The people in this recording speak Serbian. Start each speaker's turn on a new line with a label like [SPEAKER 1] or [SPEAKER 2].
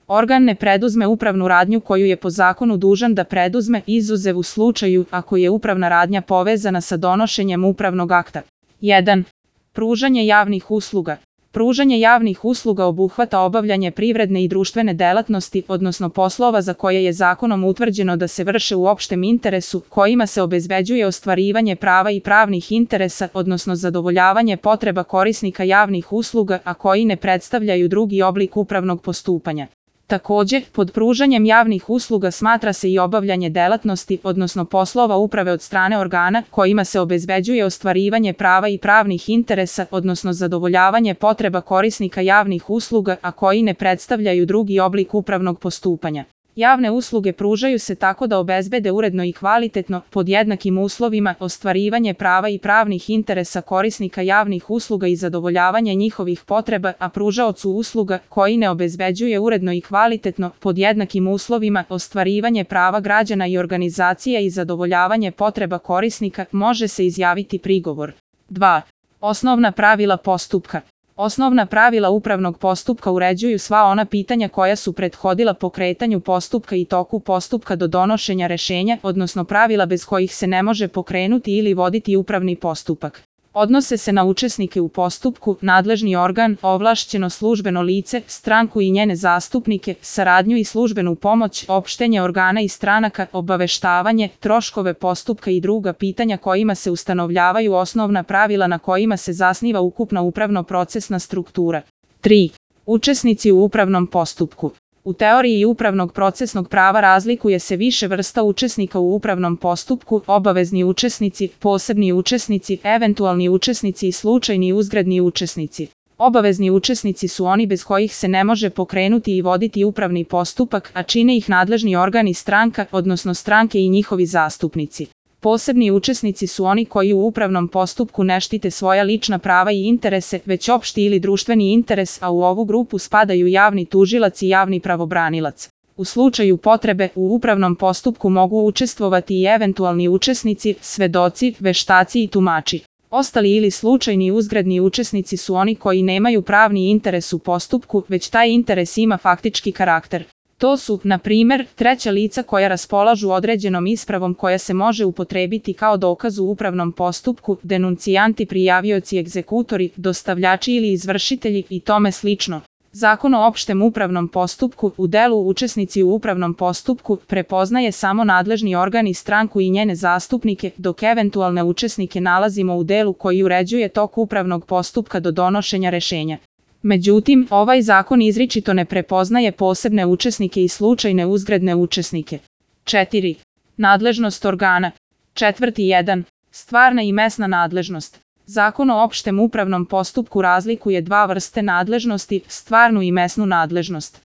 [SPEAKER 1] Organ ne preduzme upravnu radnju koju je po zakonu dužan da preduzme, izuzev u slučaju ako je upravna radnja povezana sa donošenjem upravnog akta. 1. Pružanje javnih usluga. Pružanje javnih usluga obuhvata obavljanje privredne i društvene delatnosti, odnosno poslova za koje je zakonom utvrđeno da se vrše u opštem interesu, kojima se obezbeđuje ostvarivanje prava i pravnih interesa, odnosno zadovoljavanje potreba korisnika javnih usluga, a koji ne predstavljaju drugi oblik upravnog postupanja. Takođe, pod pružanjem javnih usluga smatra se i obavljanje delatnosti, odnosno poslova uprave od strane organa, kojima se obezbeđuje ostvarivanje prava i pravnih interesa, odnosno zadovoljavanje potreba korisnika javnih usluga, a koji ne predstavljaju drugi oblik upravnog postupanja. Javne usluge pružaju se tako da obezbede uredno i kvalitetno, pod jednakim uslovima, ostvarivanje prava i pravnih interesa korisnika javnih usluga i zadovoljavanje njihovih potreba, a pružaocu usluga, koji ne obezbeđuje uredno i kvalitetno, pod jednakim uslovima, ostvarivanje prava građana i organizacija i zadovoljavanje potreba korisnika, može se izjaviti prigovor. 2. Osnovna pravila postupka. Osnovna pravila upravnog postupka uređuju sva ona pitanja koja su prethodila pokretanju postupka i toku postupka do donošenja rešenja, odnosno pravila bez kojih se ne može pokrenuti ili voditi upravni postupak. Odnose se na učesnike u postupku, nadležni organ, ovlašćeno službeno lice, stranku i njene zastupnike, saradnju i službenu pomoć, opštenje organa i stranaka, obaveštavanje, troškove postupka i druga pitanja kojima se ustanovljavaju osnovna pravila na kojima se zasniva ukupna upravno-procesna struktura. 3. Učesnici u upravnom postupku. U teoriji upravnog procesnog prava razlikuje se više vrsta učesnika u upravnom postupku: obavezni učesnici, posebni učesnici, eventualni učesnici i slučajni uzgredni učesnici. Obavezni učesnici su oni bez kojih se ne može pokrenuti i voditi upravni postupak, a čine ih nadležni organ i stranka, odnosno stranke i njihovi zastupnici. Posebni učesnici su oni koji u upravnom postupku ne štite svoja lična prava i interese, već opšti ili društveni interes, a u ovu grupu spadaju javni tužilac i javni pravobranilac. U slučaju potrebe, u upravnom postupku mogu učestvovati i eventualni učesnici, svedoci, veštaci i tumači. Ostali ili slučajni uzgredni učesnici su oni koji nemaju pravni interes u postupku, već taj interes ima faktički karakter. To su, na primer, treća lica koja raspolažu određenom ispravom koja se može upotrebiti kao dokaz u upravnom postupku, denuncijanti, prijavioci, egzekutori, dostavljači ili izvršitelji i tome slično. Zakon o opštem upravnom postupku u delu učesnici u upravnom postupku prepoznaje samo nadležni organ i stranku i njene zastupnike, dok eventualne učesnike nalazimo u delu koji uređuje tok upravnog postupka do donošenja rešenja. Međutim, ovaj zakon izričito ne prepoznaje posebne učesnike i slučajne uzgredne učesnike. 4. Nadležnost organa. 4.1. Stvarna i mesna nadležnost. Zakon o opštem upravnom postupku razlikuje dva vrste nadležnosti: stvarnu i mesnu nadležnost.